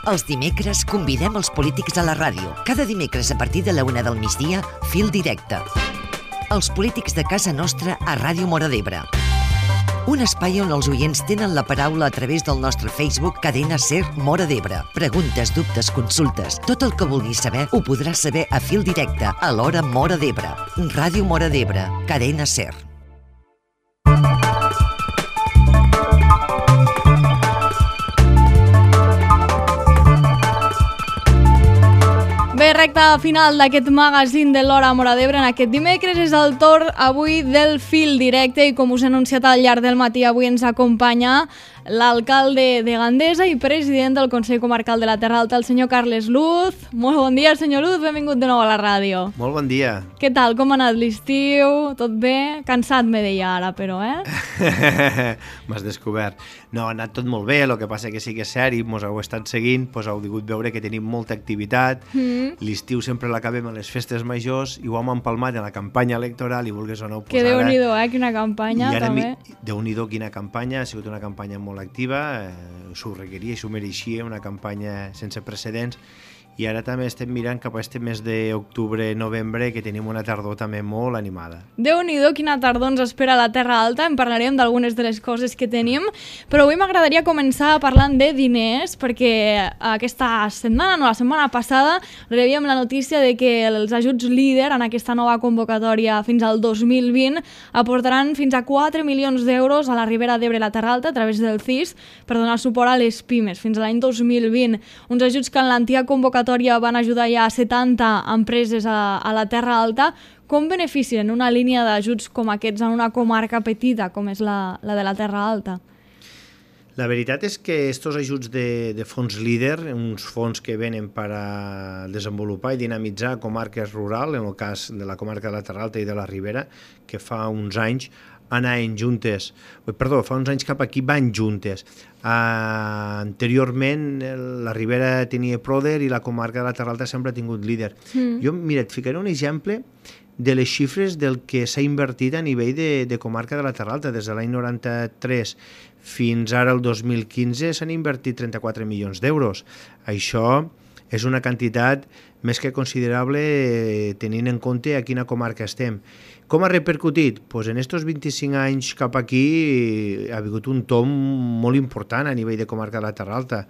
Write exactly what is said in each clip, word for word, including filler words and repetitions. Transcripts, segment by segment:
Els dimecres convidem els polítics a la ràdio. Cada dimecres a partir de la una del migdia, Fil Directe. Els polítics de casa nostra a Ràdio Móra d'Ebre. Un espai on els oients tenen la paraula a través del nostre Facebook Cadena Ser Móra d'Ebre. Preguntes, dubtes, consultes, tot el que vulguis saber ho podràs saber a Fil Directe a l'hora Móra d'Ebre. Ràdio Móra d'Ebre, Cadena Ser. Bé, recta final d'aquest magazín de l'Hora Móra d'Ebre. En aquest dimecres és el torn avui del Fil Directe i com us he anunciat al llarg del matí, avui ens acompanya l'alcalde de Gandesa i president del Consell Comarcal de la Terra Alta, el senyor Carles Luz. Molt bon dia, senyor Luz, benvingut de nou a la ràdio. Molt bon dia. Què tal, com ha anat l'estiu? Tot bé? Cansat me deia ara, però, eh? M'has descobert. No, ha anat tot molt bé, el que passa que sí que és cert i mos heu estat seguint, doncs heu pogut veure que tenim molta activitat. Mm. L'estiu sempre l'acabem a les festes majors i ho hem empalmat en la campanya electoral i vulguis o no... Que déu-n'hi-do, eh? Quina campanya, també. Déu-n'hi-do, quina campanya, ha sigut una campanya molt activa, eh, s'ho requeria i s'ho mereixia, una campanya sense precedents, i ara també estem mirant cap a este mes d'octubre-novembre, que tenim una tardor també molt animada. Déu-n'hi-do, quina tardor ens espera a la Terra Alta, en parlarem d'algunes de les coses que tenim, però avui m'agradaria començar parlant de diners, perquè aquesta setmana, no, la setmana passada, rebíem la notícia de que els ajuts líder en aquesta nova convocatòria fins al dos mil vint aportaran fins a quatre milions d'euros a la Ribera d'Ebre i la Terra Alta a través del C I S per donar suport a les pimes fins a l'any dos mil vint. Uns ajuts que en l'antiga convocatòria van ajudar ja a setanta empreses a, a la Terra Alta. Com beneficien una línia d'ajuts com aquests en una comarca petita com és la, la de la Terra Alta? La veritat és que aquests ajuts de, de fons líder, uns fons que venen per a desenvolupar i dinamitzar comarques rurals, en el cas de la comarca de la Terra Alta i de la Ribera, que fa uns anys anaven juntes, perdó, fa uns anys cap aquí van juntes. Uh, anteriorment la Ribera tenia Proder i la comarca de la Terra Alta sempre ha tingut líder. Mm. Jo, mira, et ficaré un exemple de les xifres del que s'ha invertit a nivell de, de comarca de la Terra Alta. Des de l'any noranta-tres fins ara el dos mil quinze s'han invertit trenta-quatre milions d'euros. Això és una quantitat més que considerable tenint en compte a quina comarca estem. Com ha repercutit? Pues en aquests vint-i-cinc anys cap aquí ha hagut un tom molt important a nivell de comarca de la Terra Alta,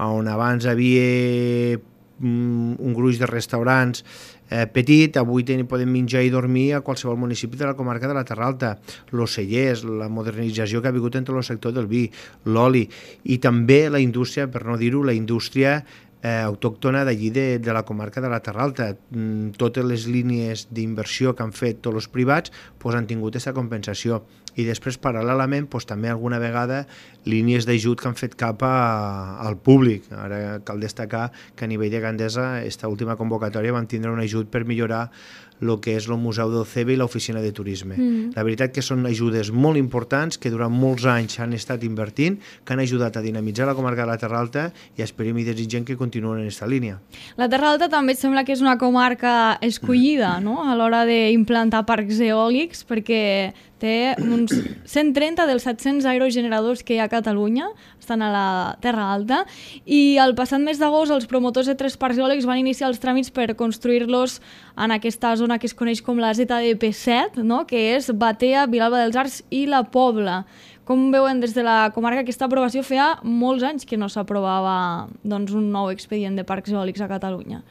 on abans havia un gruix de restaurants eh, petit, avui ten, podem menjar i dormir a qualsevol municipi de la comarca de la Terra Alta, els cellers, la modernització que ha hagut entre el sector del vi, l'oli, i també la indústria, per no dir-ho, la indústria Eh, autòctona d'allí de, de la comarca de la Terra Alta. Mm, totes les línies d'inversió que han fet tots els privats pues, han tingut aquesta compensació, i després paral·lelament pues, també alguna vegada línies d'ajut que han fet cap a, al públic. Ara cal destacar que a nivell de Gandesa esta última convocatòria vam tindre un ajut per millorar el que és el Museu del C E B i l'Oficina de Turisme. Mm. La veritat que són ajudes molt importants que durant molts anys han estat invertint, que han ajudat a dinamitzar la comarca de la Terra Alta, i esperem i desitgem que continuen en aquesta línia. La Terra Alta també sembla que és una comarca escollida, no?, a l'hora d'implantar parcs eòlics, perquè té uns cent trenta dels set-cents aerogeneradors que hi ha a Catalunya, estan a la Terra Alta, i el passat mes d'agost els promotors de tres parcs eòlics van iniciar els tràmits per construir-los en aquesta zona que es coneix com la Z D P set, no?, que és Batea, Vilalba dels Arcs i la Pobla. Com veuen des de la comarca aquesta aprovació? Feia molts anys que no s'aprovava doncs, un nou expedient de parcs eòlics a Catalunya.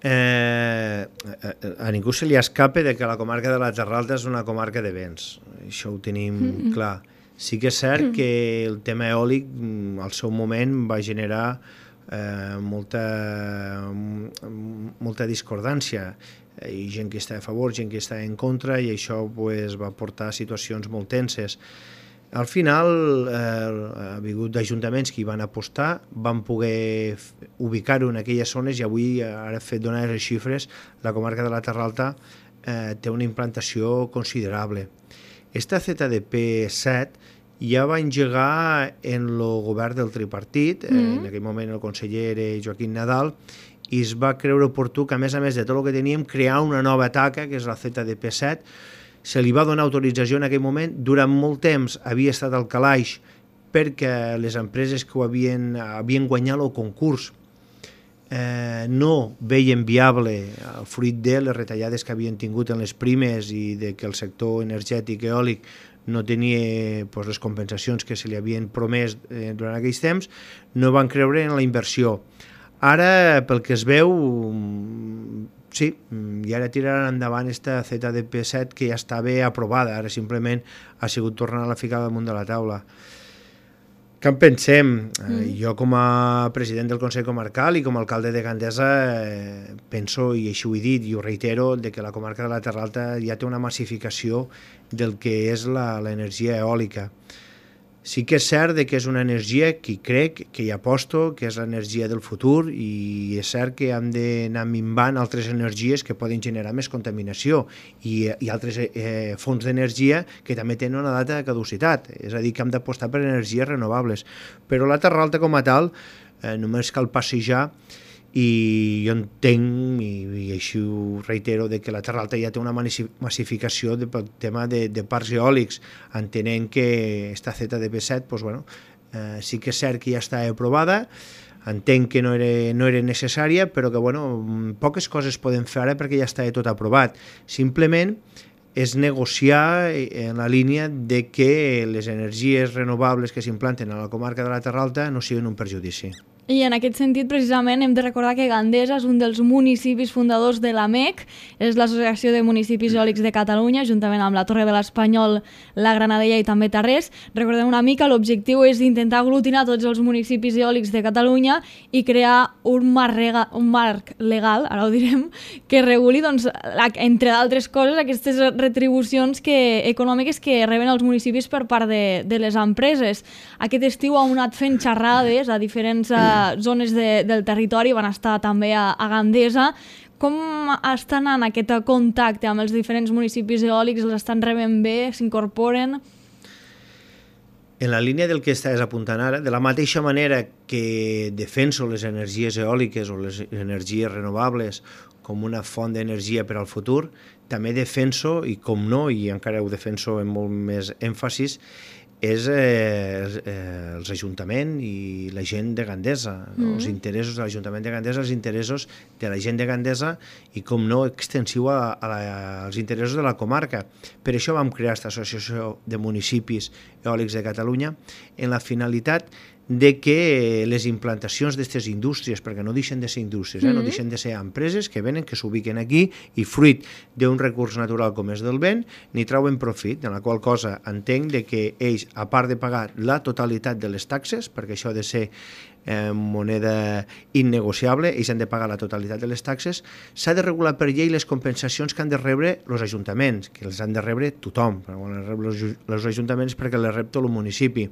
Eh, a ningú se li escape de que la comarca de la Terra Alta és una comarca de vents, això ho tenim mm-hmm. clar. Sí que és cert que el tema eòlic al seu moment va generar eh, molta, molta discordància, i gent que està a favor, gent que està en contra, i això pues, va portar a situacions molt tenses. Al final eh, ha hagut ajuntaments que hi van apostar, van poder ubicar-ho en aquelles zones, i avui, ara fet donar les xifres, la comarca de la Terra Alta eh, té una implantació considerable. Esta Z D P set ja va engegar en el govern del tripartit, mm. eh, en aquell moment el conseller era Joaquim Nadal, i es va creure oportú que, a més a més de tot el que teníem, crear una nova taca, que és la Z D P set. Se li va donar autorització en aquell moment, durant molt temps havia estat al calaix perquè les empreses que ho havien, havien guanyat el concurs eh, no veien viable, el fruit de les retallades que havien tingut en les primes i de que el sector energètic eòlic no tenia pues, les compensacions que se li havien promès eh, durant aquells temps, no van creure en la inversió. Ara, pel que es veu, sí, i ara tiraran endavant aquesta Z D P set que ja estava aprovada, ara simplement ha sigut tornar a la ficar damunt de la taula. Què en pensem? Mm. Jo com a president del Consell Comarcal i com a alcalde de Gandesa eh, penso, i així ho he dit i ho reitero, de que la comarca de la Terra Alta ja té una massificació del que és l'energia eòlica. Sí que és cert que és una energia que crec, que hi aposto, que és l'energia del futur, i és cert que hem d'anar minvant altres energies que poden generar més contaminació i, i altres eh, fonts d'energia que també tenen una data de caducitat, és a dir, que hem d'apostar per energies renovables. Però la Terra Alta com a tal eh, només cal passejar i jo entenc, i, i així ho reitero, de que la Terra Alta ja té una massificació de, pel tema de, de parcs eòlics, entenent que esta Z D P set pues, bueno, eh, sí que és cert que ja està aprovada, entenc que no era, no era necessària, però que bueno, poques coses poden fer ara perquè ja està tot aprovat. Simplement és negociar en la línia de que les energies renovables que s'implanten a la comarca de la Terra Alta no siguin un perjudici. I en aquest sentit, precisament, hem de recordar que Gandesa és un dels municipis fundadors de l'A M E C, és l'Associació de Municipis Eòlics de Catalunya, juntament amb la Torre de l'Espanyol, la Granadella i també Tarrés. Recordem una mica, l'objectiu és intentar aglutinar tots els municipis eòlics de Catalunya i crear un marc, rega, un marc legal, ara ho direm, que reguli, doncs, entre d'altres coses, aquestes retribucions que, econòmiques que reben els municipis per part de, de les empreses. Aquest estiu hem anat fent xerrades a diferents zones de, del territori, van estar també a, a Gandesa. Com està anant aquest contacte amb els diferents municipis eòlics? Els estan rebent bé? S'incorporen? En la línia del que estàs apuntant ara, de la mateixa manera que defenso les energies eòliques o les energies renovables com una font d'energia per al futur, també defenso, i com no, i encara ho defenso amb molt més èmfasis, és eh, eh, els ajuntaments i la gent de Gandesa, no? Mm. Els interessos de l'Ajuntament de Gandesa, els interessos de la gent de Gandesa i, com no, extensiu a, a la, als interessos de la comarca. Per això vam crear aquesta associació de municipis eòlics de Catalunya en la finalitat de que les implantacions d'aquestes indústries, perquè no deixen de ser indústries, eh? Mm-hmm. No deixen de ser empreses que venen, que s'ubiquen aquí i fruit d'un recurs natural com és del vent, n'hi trauen profit, en la qual cosa entenc de que ells, a part de pagar la totalitat de les taxes, perquè això ha de ser eh, moneda innegociable, ells han de pagar la totalitat de les taxes, s'ha de regular per llei les compensacions que han de rebre els ajuntaments, que les han de rebre tothom, quan les reben els ajuntaments perquè les rep tot el municipi.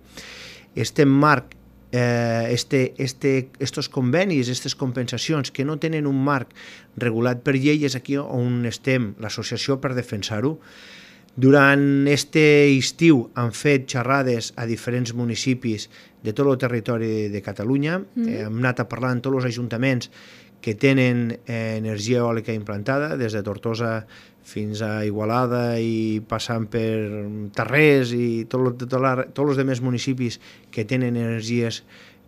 Este marc Eh, este, este, estos convenis, aquestes compensacions que no tenen un marc regulat per llei, és aquí on estem, l'associació, per defensar-ho. Durant este estiu han fet xerrades a diferents municipis de tot el territori de Catalunya, mm. eh, hem anat a parlar amb tots els ajuntaments que tenen eh, energia eòlica implantada, des de Tortosa fins a Igualada i passant per Tarrés i tot, tot la, tots els altres municipis que tenen energies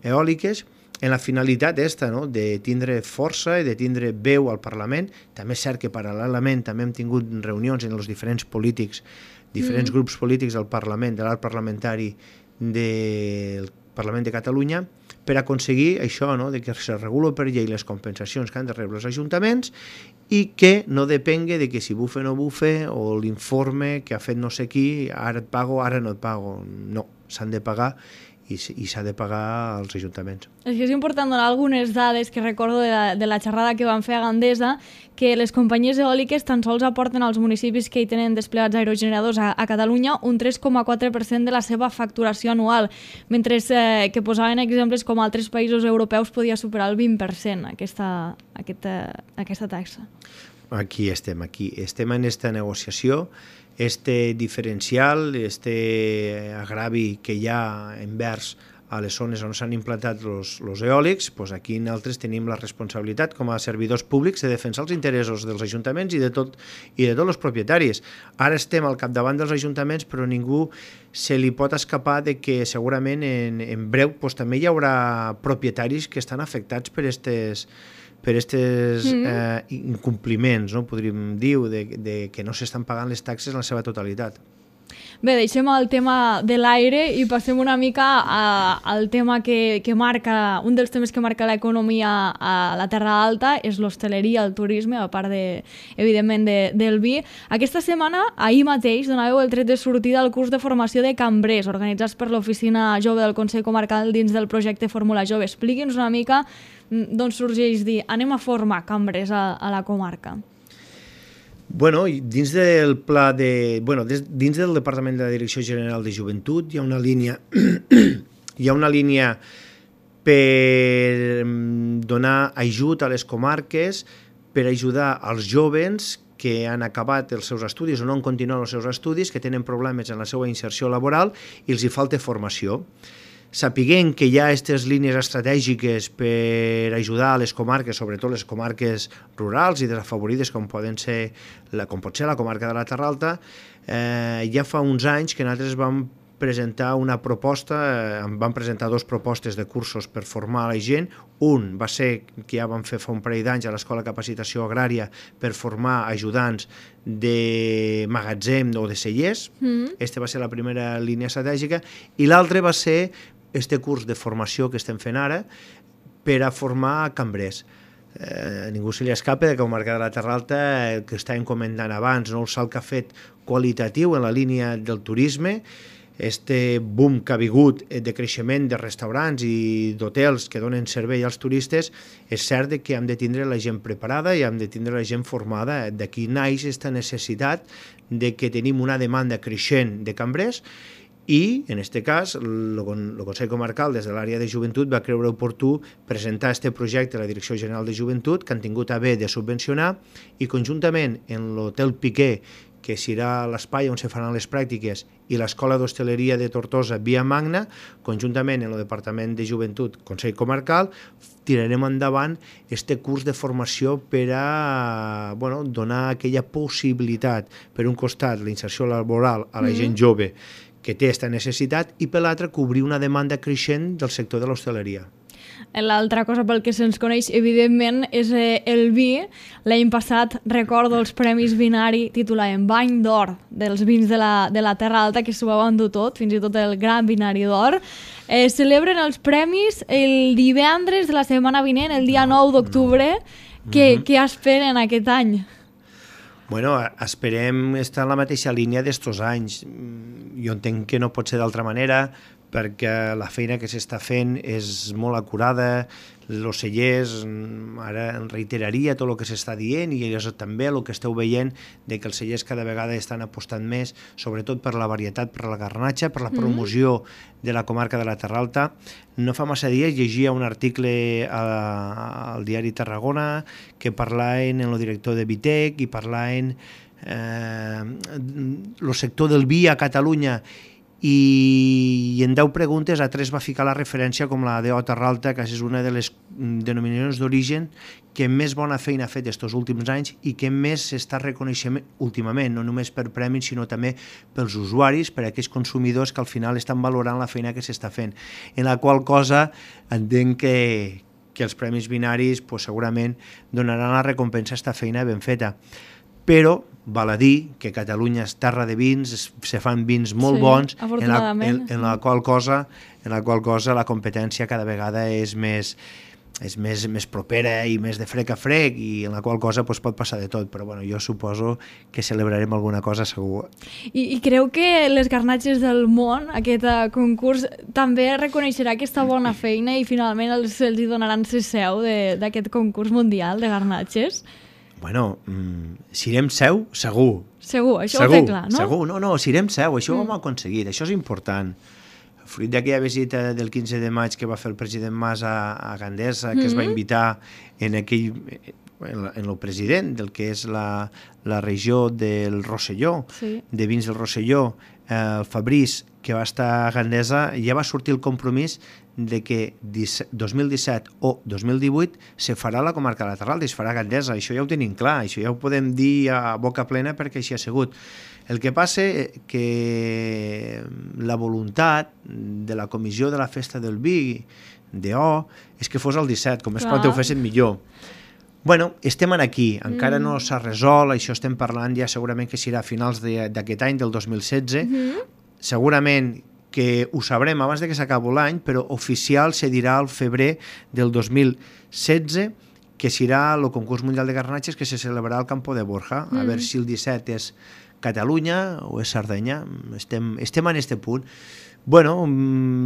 eòliques, en la finalitat esta, no? De tindre força i de tindre veu al Parlament. També és cert que paral·lelament també hem tingut reunions en els diferents polítics, diferents mm. grups polítics del Parlament, de l'art parlamentari del Parlament de Catalunya, per aconseguir això, no? De que se regula per llei les compensacions que han de rebre els ajuntaments i que no depengue de que si bufe o no bufe o l'informe que ha fet no sé qui, ara et pago, ara no et pago. No, s'han de pagar i, i s'ha de pagar als ajuntaments. És que és important donar algunes dades que recordo de la, de la xerrada que van fer a Gandesa, que les companyies eòliques tan sols aporten als municipis que hi tenen desplegats aerogeneradors a, a Catalunya un tres coma quatre per cent de la seva facturació anual, mentre eh, que posaven exemples com altres països europeus podia superar el vint per cent aquesta, aquesta, aquesta taxa. Aquí estem, aquí estem en aquesta negociació, este diferencial, este agravi que hi ha envers a les zones on s'han implantat els eòlics, doncs aquí nosaltres tenim la responsabilitat com a servidors públics de defensar els interessos dels ajuntaments i de, tot, i de tots els propietaris. Ara estem al capdavant dels ajuntaments, però ningú se li pot escapar de que segurament en, en breu doncs, també hi haurà propietaris que estan afectats per aquestes per aquests mm. eh, incompliments, no? Podríem dir, de, de que no s'estan pagant les taxes en la seva totalitat. Bé, deixem el tema de l'aire i passem una mica a, al tema que, que marca, un dels temes que marca l'economia a la Terra Alta és l'hostaleria, el turisme, a part, de, evidentment, de, del vi. Aquesta setmana, ahir mateix, donàveu el tret de sortida al curs de formació de cambrers, organitzats per l'Oficina Jove del Consell Comarcal dins del projecte Fórmula Jove. Expliqui'ns una mica d'on sorgeix dir anem a formar cambrers a, a la comarca. Bueno, dins del pla de... Bueno, dins del Departament de la Direcció General de Joventut hi ha una línia hi ha una línia per donar ajut a les comarques, per ajudar als joves que han acabat els seus estudis o no han continuat els seus estudis, que tenen problemes en la seva inserció laboral i els hi falta formació. Sapiguem que hi ha aquestes línies estratègiques per ajudar a les comarques, sobretot les comarques rurals i desafavorides, com, poden ser la, com pot ser la comarca de la Terra Alta, eh, ja fa uns anys que nosaltres vam presentar una proposta, eh, vam presentar dues propostes de cursos per formar la gent. Un va ser que ja vam fer fa un parell d'anys a l'Escola de Capacitació Agrària per formar ajudants de magatzem o de cellers. Mm. Aquesta va ser la primera línia estratègica. I l'altra va ser este curs de formació que estem fent ara per a formar cambrers. Eh, ningú se li escapa que el Comarca de la Terra Alta, el que estàvem comentant abans, no? El salt que ha fet qualitatiu en la línia del turisme, este boom que ha vingut de creixement de restaurants i d'hotels que donen servei als turistes, és cert que hem de tindre la gent preparada i hem de tindre la gent formada. D'aquí naix aquesta necessitat de que tenim una demanda creixent de cambrers i, en aquest cas, el Consell Comarcal, des de l'àrea de joventut, va creure oportú presentar aquest projecte a la Direcció General de Joventut, que han tingut a bé de subvencionar, i conjuntament en l'Hotel Piqué, que serà l'espai on se faran les pràctiques, i l'Escola d'Hostaleria de Tortosa, Via Magna, conjuntament en el Departament de Joventut, Consell Comarcal, tirarem endavant este curs de formació per a bueno, donar aquella possibilitat, per un costat, la inserció laboral a la mm-hmm. gent jove que té aquesta necessitat, i per l'altre, cobrir una demanda creixent del sector de l'hostaleria. L'altra cosa pel que se'ns coneix, evidentment, és eh, el vi. L'any passat, recordo, els Premis Vinari titulaven Bany d'Or dels vins de la, de la Terra Alta, que s'ho va endur tot, fins i tot el Gran Vinari d'Or. Eh, celebren els premis el divendres de la setmana vinent, el dia nou d'octubre. No. Què, mm-hmm. què esperen aquest any? Bueno, esperem estar en la mateixa línia d'estos anys. Jo entenc que no pot ser d'altra manera, perquè la feina que s'està fent és molt acurada, els cellers, ara reiteraria tot el que s'està dient, i és també el que esteu veient, de que els cellers cada vegada estan apostant més, sobretot per la varietat, per la garnatxa, per la promoció mm. de la comarca de la Terra Alta. No fa massa dies llegia un article a, al diari Tarragona que parlaven en el director de Vitec i parlaven eh, el sector del vi a Catalunya, i en deu preguntes a tres va ficar la referència com la d'O Terra Alta, que és una de les denominacions d'origen que més bona feina ha fet aquests últims anys i que més s'està reconeixent últimament, no només per premis, sinó també pels usuaris, per aquells consumidors que al final estan valorant la feina que s'està fent. En la qual cosa entenc que, que els Premis Binaris pues, segurament donaran la recompensa a aquesta feina ben feta. Però val a dir que Catalunya és terra de vins, se fan vins molt sí, bons, en la, en, en, la qual cosa, en la qual cosa la competència cada vegada és més, és més, més propera i més de frec a frec, i en la qual cosa pues, pot passar de tot, però bueno, jo suposo que celebrarem alguna cosa segur. I, i creu que les garnatges del món, aquest uh, concurs, també reconeixerà aquesta bona feina i finalment els, els hi donaran la seu d'aquest concurs mundial de garnatges? Bueno, mm, serem seu, segur. Segur, això segur, ho té clar, no? Segur, no, no, serem seu, això mm. ho hem aconseguit, això és important. Fruit d'aquella visita del quinze de maig que va fer el president Mas a, a Gandesa, que mm-hmm. es va invitar en aquell... en el president del que és la, la regió del Rosselló, sí. de vins del Rosselló, eh, el Fabriç, que va estar a Gandesa, ja va sortir el compromís de que dos mil disset o dos mil divuit se farà la comarca de la Terral i es farà a Gandesa. Això ja ho tenim clar, això ja ho podem dir a boca plena perquè així ha sigut. El que passa és que la voluntat de la comissió de la festa del vi d'O és que fos el disset, com més pront ho fessin millor. Bueno, estem aquí, encara no s'ha resolt, això estem parlant ja segurament que serà a finals d'aquest any, del dos mil setze, segurament que ho sabrem abans de que s'acabi l'any, però oficial se dirà al febrer del dos mil setze, que serà el concurs mundial de garnatges que se celebrarà al Campo de Borja. A veure si el disset és Catalunya o és Sardenya. Estem, estem en aquest punt. Bueno,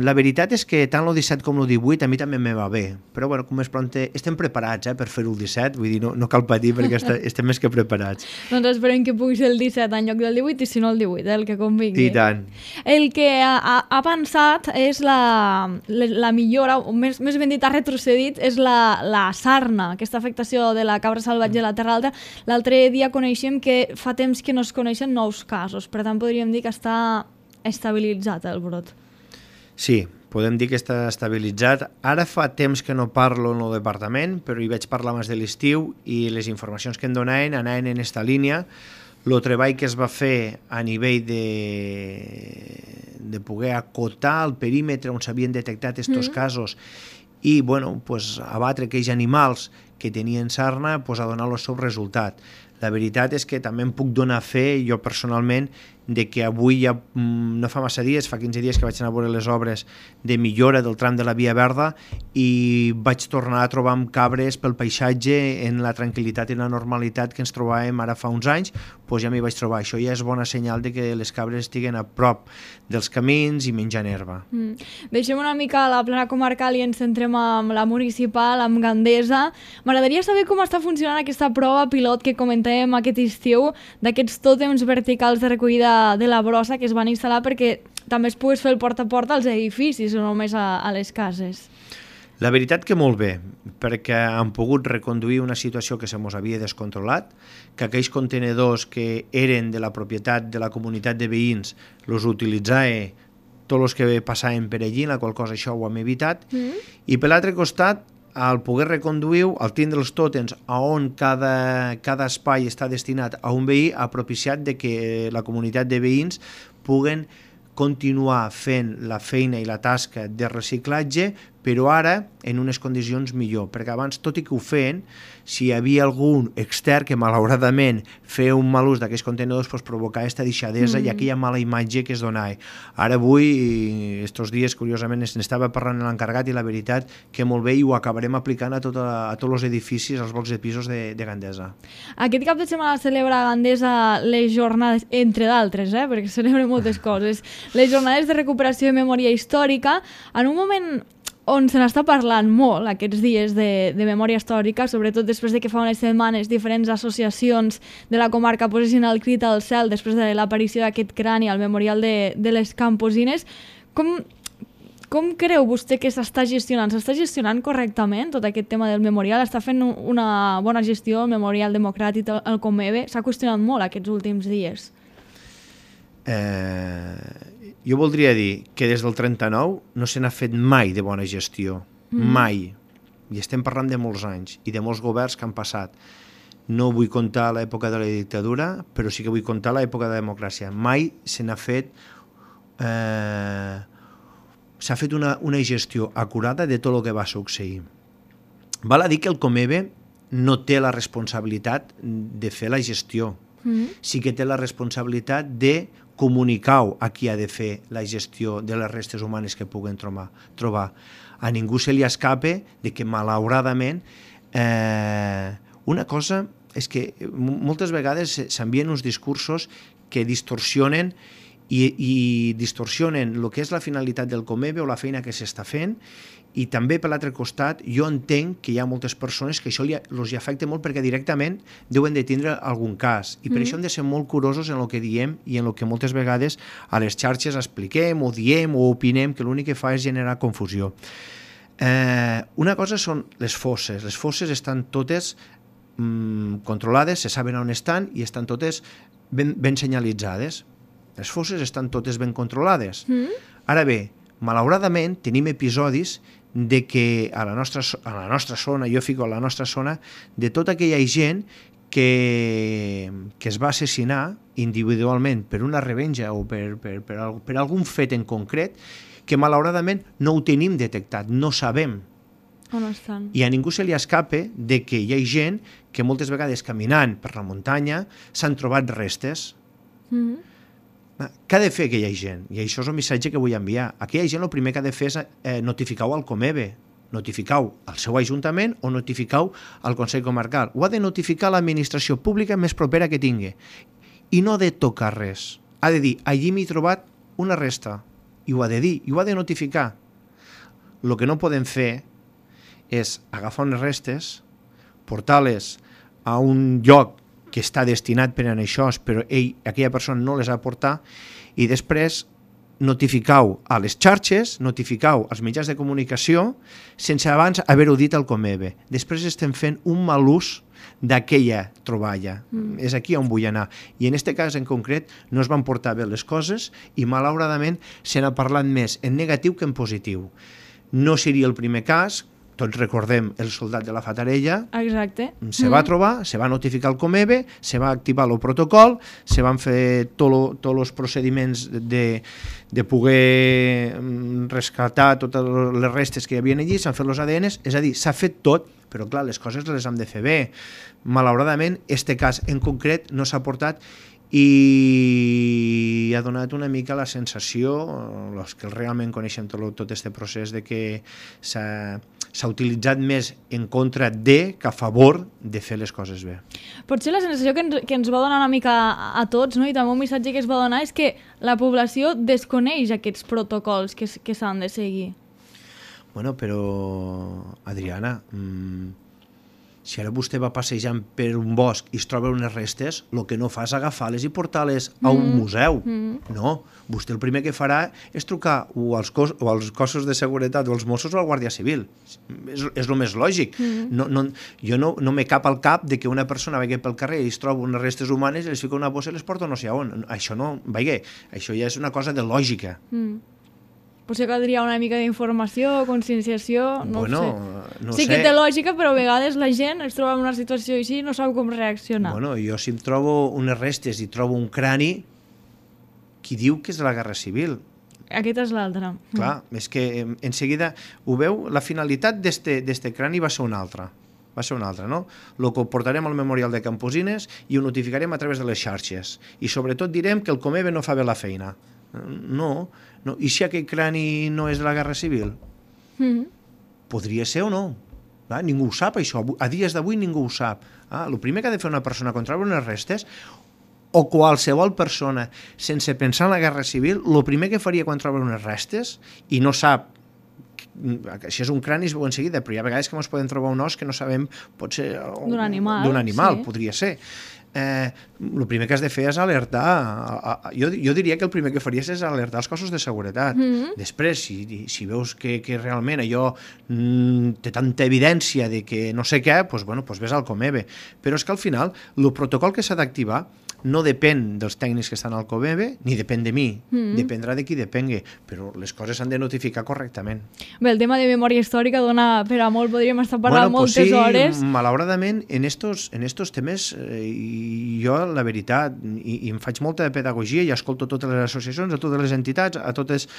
la veritat és que tant el disset com el divuit a mi també me va bé, però bueno, com més pront estem preparats eh, per fer-ho el disset, vull dir, no, no cal patir perquè est estem més que preparats. Doncs esperem que pugui ser el disset en lloc del divuit i si no el divuit, eh, el que convingui. I tant. El que ha, ha pensat és la, la, la millora, o més, més ben dit ha retrocedit, és la, la sarna, aquesta afectació de la cabra salvatge a la Terra Alta. L'altre dia coneixem que fa temps que no es coneixen nous casos, per tant podríem dir que està estabilitzat el brot. Sí, podem dir que està estabilitzat. Ara fa temps que no parlo en el departament, però hi vaig parlar abans de l'estiu i les informacions que em donaven anaven en aquesta línia. El treball que es va fer a nivell de, de poder acotar el perímetre on s'havien detectat aquests mm. casos i bueno, pues, abatre aquells animals que tenien sarna pues, a donar el seu resultat. La veritat és que també em puc donar fe, jo personalment, de que avui ja no fa massa dies, fa quinze dies que vaig anar a veure les obres de millora del tram de la Via Verda i vaig tornar a trobar amb cabres pel paisatge en la tranquil·litat i la normalitat que ens trobàvem ara fa uns anys, doncs ja m'hi vaig trobar. Això ja és bona senyal de que les cabres estiguen a prop dels camins i menjant herba. Mm. Deixem una mica la plana comarcal i ens centrem amb la municipal, amb Gandesa. M'agradaria saber com està funcionant aquesta prova pilot que comentàvem aquest estiu d'aquests tòtems verticals de recollida de la brossa que es van instal·lar perquè també es pogués fer el porta a porta als edificis o només a, a les cases. La veritat que molt bé, perquè han pogut reconduir una situació que se mos havia descontrolat, que aquells contenedors que eren de la propietat de la comunitat de veïns els utilitzava tots els que passaven per allí, la qual cosa això ho hem evitat, mm. i per l'altre costat al poder reconduir, al tindre els tòtems a on cada, cada espai està destinat a un veí, ha propiciat de que la comunitat de veïns puguen continuar fent la feina i la tasca de reciclatge, però ara en unes condicions millor, perquè abans, tot i que ho feien, si hi havia algun extern que malauradament feia un mal ús d'aquests contenidors, doncs provocava aquesta deixadesa mm. i aquella mala imatge que es donava. Ara avui, estos dies, curiosament, n'estava parlant l'encarregat i la veritat que molt bé i ho acabarem aplicant a, tota, a tots els edificis, als blocs de pisos de, de Gandesa. Aquest cap de setmana celebra a Gandesa les jornades, entre d'altres, eh, perquè celebra moltes coses, les jornades de recuperació de memòria històrica, en un moment on se n'està parlant molt aquests dies de, de memòria històrica, sobretot després de que fa unes setmanes diferents associacions de la comarca posessin el crit al cel després de l'aparició d'aquest crani al memorial de, de les Camposines. Com, com creu vostè que s'està gestionant? S'està gestionant correctament tot aquest tema del memorial? Està fent una bona gestió el memorial democràtic, el Comebe? S'ha qüestionat molt aquests últims dies. Eh... Jo voldria dir que des del trenta-nou no se n'ha fet mai de bona gestió, mm. mai. I estem parlant de molts anys i de molts governs que han passat. No vull contar l'època de la dictadura, però sí que vull contar l'època de la democràcia. Mai se n'ha fet... Eh, s'ha fet una, una gestió acurada de tot el que va succeir. Val a dir que el Comebe no té la responsabilitat de fer la gestió. Mm. Sí que té la responsabilitat de comunicar a qui ha de fer la gestió de les restes humanes que puguen trobar. trobar. A ningú se li escape de que, malauradament, eh, una cosa és que moltes vegades s'envien uns discursos que distorsionen i, i distorsionen el que és la finalitat del Comebe o la feina que s'està fent, i també per l'altre costat jo entenc que hi ha moltes persones que això els afecta molt perquè directament deuen de tindre algun cas i per mm. això hem de ser molt curosos en el que diem i en el que moltes vegades a les xarxes expliquem o diem o opinem, que l'únic que fa és generar confusió. Eh, una cosa són les fosses. Les fosses estan totes mm, controlades, se saben on estan i estan totes ben, ben senyalitzades. Les fosses estan totes ben controlades. Mm. Ara bé, malauradament tenim episodis de que a la nostra, a la nostra zona, jo fico a la nostra zona, de tota aquella gent que, que es va assassinar individualment per una revenja o per, per, per, per algun fet en concret, que malauradament no ho tenim detectat, no sabem. On estan? I a ningú se li escape de que hi ha gent que moltes vegades caminant per la muntanya s'han trobat restes. Mm-hmm. Què ha de fer aquella gent? I això és el missatge que vull enviar. Aquella gent el primer que ha de fer és eh, notificar-ho al Comebe, notificar-ho al seu ajuntament o notificar-ho al Consell Comarcal. Ho ha de notificar l'administració pública més propera que tingui. I no ha de tocar res. Ha de dir, allí m'he trobat una resta. I ho ha de dir, i ho ha de notificar. El que no podem fer és agafar unes restes, portar-les a un lloc que està destinat per a això, però ell, aquella persona no les ha portat, i després notificar-ho a les xarxes, notificar-ho als mitjans de comunicació, sense abans haver-ho dit al Comebe. Després estem fent un mal ús d'aquella troballa. Mm. És aquí on vull anar. I en aquest cas en concret no es van portar bé les coses i malauradament se n'ha parlat més en negatiu que en positiu. No seria el primer cas. Tots recordem el soldat de la Fatarella. Exacte. Se va trobar, se va notificar al Comebe, se va activar el protocol, se van fer tots els procediments de, de poder rescatar totes les restes que hi havia allí, s'han fet els A D Ns, és a dir, s'ha fet tot, però clar, les coses les hem de fer bé. Malauradament, aquest cas en concret no s'ha portat i ha donat una mica la sensació, els que realment coneixen tot aquest procés, de que s'ha s'ha utilitzat més en contra de que a favor de fer les coses bé. Potser la sensació que ens, que ens va donar una mica a, a tots, no? I també un missatge que es va donar és que la població desconeix aquests protocols que, que s'han de seguir. Bueno, però, Adriana, mmm, si ara vostè va passejant per un bosc i es troba unes restes, el que no fa és agafar-les i portar-les a un mm. museu. Mm. No, vostè el primer que farà és trucar o als, cos, o als cossos de seguretat o als Mossos o al Guàrdia Civil. És, és el més lògic. Mm. No, no, jo no, no me cap al cap de que una persona vagi pel carrer i es troba unes restes humanes i les fica una bossa i les porta no sé on. Això no, vagi, això ja és una cosa de lògica. Mm. Potser caldria una mica d'informació, conscienciació, no bueno, ho sé. No sí sé. que té lògica, però a vegades la gent es troba en una situació així i no sap com reaccionar. Bueno, jo si em trobo unes restes i trobo un crani, qui diu que és de la Guerra Civil? Aquest és l'altre. Clar, mm. és que en seguida, ho veu, la finalitat d'este crani va ser una altra. Va ser una altra, no? El que ho portarem al Memorial de Camposines i ho notificarem a través de les xarxes. I sobretot direm que el Comebe no fa bé la feina. No, no. I si aquell crani no és de la Guerra Civil? Mm-hmm. Podria ser o no. Ah, ningú ho sap, això. A dies d'avui ningú ho sap. Ah, el primer que ha de fer una persona contra unes restes, o qualsevol persona, sense pensar en la Guerra Civil, el primer que faria quan troba unes restes, i no sap si és un crani es veu en seguida, però hi ha vegades que ens podem trobar un os que no sabem, pot ser d'un animal, d'un animal sí. Podria ser. Eh, el primer que has de fer és alertar, a, a, jo, jo diria que el primer que faries és alertar els cossos de seguretat. Mm-hmm. Després, si, si veus que, que realment allò mm, té tanta evidència de que no sé què, doncs, bueno, doncs ves al Comebe. Però és que al final, el protocol que s'ha d'activar no depèn dels tècnics que estan al Comebe, ni depèn de mi, mm-hmm. dependrà de qui depengui, però les coses s'han de notificar correctament. Bé, el tema de memòria històrica dona per a molt, podríem estar parlant bueno, pues moltes sí, hores. Malauradament, en estos, en estos temes, eh, jo, la veritat, i, i em faig molta pedagogia i escolto totes les associacions, a totes les entitats, a totes,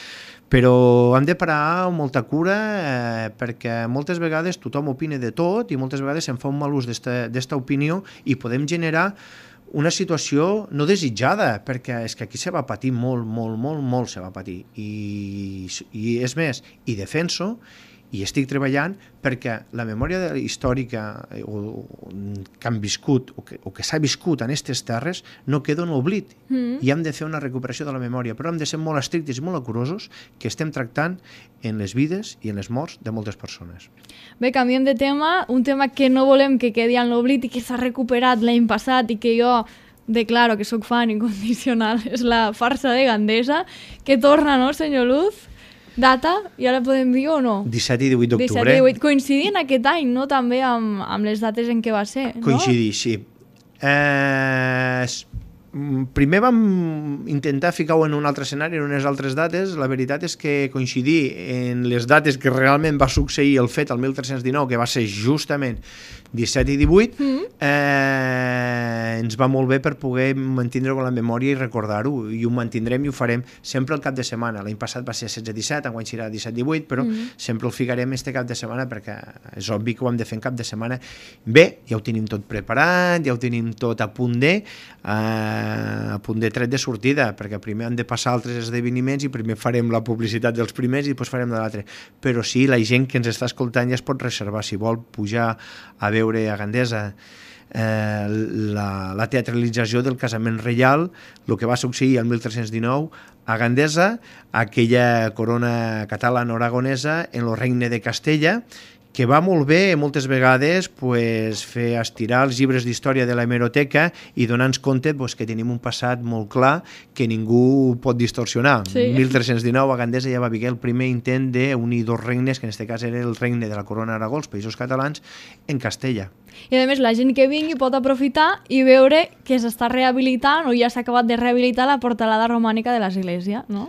però hem de parar amb molta cura eh, perquè moltes vegades tothom opina de tot i moltes vegades se'n fa un mal ús d'esta opinió i podem generar una situació no desitjada, perquè és que aquí se va patir molt, molt, molt, molt se va patir. I, i és més, i defenso, i estic treballant perquè la memòria històrica o, que han viscut o que, o que s'ha viscut en aquestes terres no queda en l'oblit. Mm. I hem de fer una recuperació de la memòria, però hem de ser molt estrictes i molt curosos que estem tractant en les vides i en les morts de moltes persones. Bé, canviem de tema, un tema que no volem que quedi en l'oblit i que s'ha recuperat l'any passat i que jo declaro que sóc fan incondicional, és la farsa de Gandesa, que torna, no, senyor Luz? Data, ja la podem dir o no? disset i divuit d'octubre. disset i divuit. Coincidint aquest any, no? També amb, amb les dates en què va ser, no? Coincidir, sí. Eh, primer vam intentar ficar-ho en un altre escenari, en unes altres dates. La veritat és que coincidir en les dates que realment va succeir el fet el mil tres-cents dinou, que va ser justament disset i divuit, mm. eh, ens va molt bé per poder mantindre-ho en la memòria i recordar-ho, i ho mantindrem i ho farem sempre el cap de setmana. L'any passat va ser setze disset, enguany serà disset divuit, però mm. sempre el ficarem este cap de setmana perquè és obvi que ho hem de fer en cap de setmana. Bé, ja ho tenim tot preparat, ja ho tenim tot a punt de, eh, a punt de tret de sortida, perquè primer han de passar altres esdeveniments i primer farem la publicitat dels primers i després farem de l'altre. Però sí, la gent que ens està escoltant ja es pot reservar, si vol pujar a veure a Gandesa eh, la, la teatralització del casament reial, el que va succeir el mil tres-cents dinou a Gandesa, aquella corona catalana-aragonesa en el regne de Castella, que va molt bé moltes vegades pues, fer estirar els llibres d'història de la hemeroteca i donar-nos compte pues, que tenim un passat molt clar que ningú pot distorsionar. Sí. mil tres-cents dinou a Gandesa ja va haver el primer intent d'unir dos regnes, que en aquest cas era el regne de la corona Aragó, els Països Catalans, en Castella. I a més la gent que vingui pot aprofitar i veure que s'està rehabilitant o ja s'ha acabat de rehabilitar la portalada romànica de l'església, no?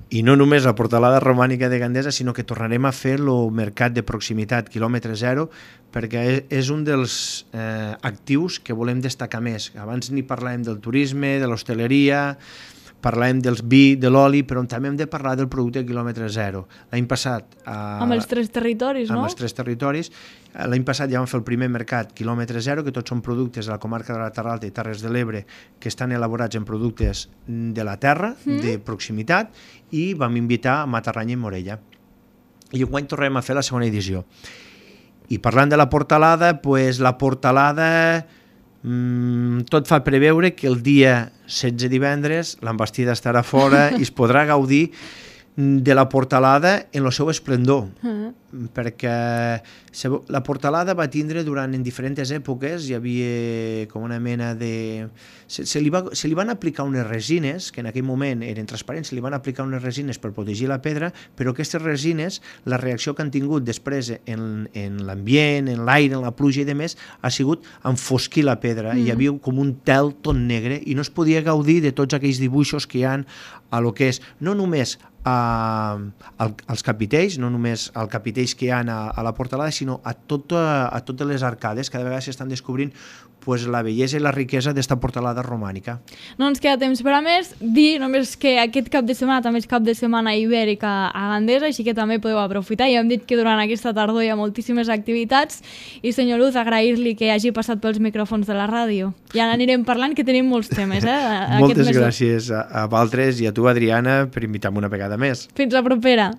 I no només la portalada romànica de Gandesa, sinó que tornarem a fer el mercat de proximitat, quilòmetre zero, perquè és un dels eh, actius que volem destacar més. Abans ni parlàvem del turisme, de l'hostaleria, parlàvem del vi, de l'oli, però també hem de parlar del producte quilòmetre zero. L'any passat... Eh, amb els tres territoris, no? Amb els tres territoris. L'any passat ja vam fer el primer mercat quilòmetre zero, que tots són productes de la comarca de la Terra Alta i Terres de l'Ebre que estan elaborats en productes de la terra, mm. de proximitat, i vam invitar a Matarranya i Morella. I enguany tornem a fer la segona edició. I parlant de la portalada, pues la portalada mmm, tot fa preveure que el dia setze divendres l'embastida estarà fora i es podrà gaudir de la portalada en el seu esplendor, uh-huh. perquè la portalada va tindre durant en diferents èpoques, hi havia com una mena de... Se, se, li va, se li van aplicar unes resines, que en aquell moment eren transparents, se li van aplicar unes resines per protegir la pedra, però aquestes resines, la reacció que han tingut després en, en l'ambient, en l'aire, en la pluja i demés, ha sigut enfosquir la pedra, mm. hi havia com un tel tot negre i no es podia gaudir de tots aquells dibuixos que hi ha a lo que és, no només a, a, als capitells, no només als capitells que hi ha a, a la portalada, sinó a, tot, a, a totes les arcades. Cada vegada s'estan descobrint pues, la bellesa i la riquesa d'esta portalada romànica. No ens queda temps per a més. Dir només que aquest cap de setmana també és cap de setmana ibèrica a Gandesa, així que també podeu aprofitar. Ja hem dit que durant aquesta tardor hi ha moltíssimes activitats i, senyor Luz, agrair-li que hagi passat pels micròfons de la ràdio. Ja n'anirem parlant, que tenim molts temes. Eh, Moltes gràcies a, a Valtres i a tu, Adriana, per invitar-me una vegada més. Fins la propera.